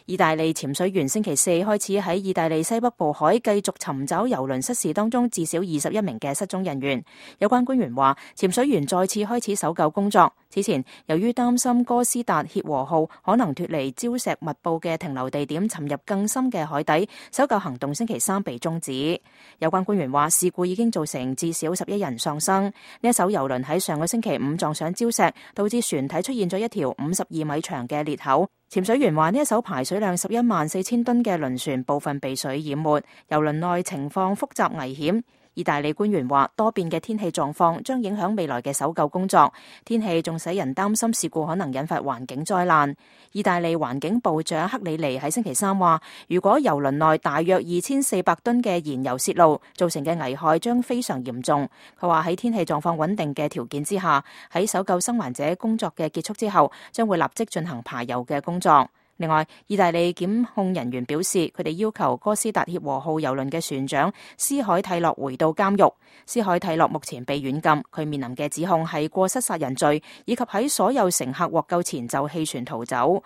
意大利潛水員星期四開始喺意大利西北部海繼續尋找郵輪失事當中至少21名嘅失蹤人員。有關官員話，潛水員再次開始搜救工作。此前，由於擔心哥斯達協和號可能脫離礁石密布嘅停留地點，沉入更深嘅海底，搜救行動星期三被終止。有關官員話，事故已經造成至少11人喪生。呢一艘郵輪喺上個星期五撞上礁石，導致船體出現咗一條52米長嘅裂口。潛水員話，呢一艘排水量114000噸嘅輪船部分被水淹沒，郵輪內情況複雜危險。意大利官員話，多變嘅天氣狀況將影響未來嘅搜救工作，天氣仲使人擔心事故可能引發環境災難。意大利環境部長克里尼喺星期三話，如果郵輪內大約2400噸嘅燃油泄漏，造成嘅危害將非常嚴重。佢話喺天氣狀況穩定嘅條件之下，喺搜救生還者工作嘅結束之後，將會立即進行排油嘅工作。另外，意大利檢控人員表示，佢哋要求哥斯達協和號郵輪嘅船長斯海蒂洛回到監獄。斯海蒂洛目前被軟禁，佢面臨嘅指控係過失殺人罪，以及喺所有乘客獲救前就棄船逃走。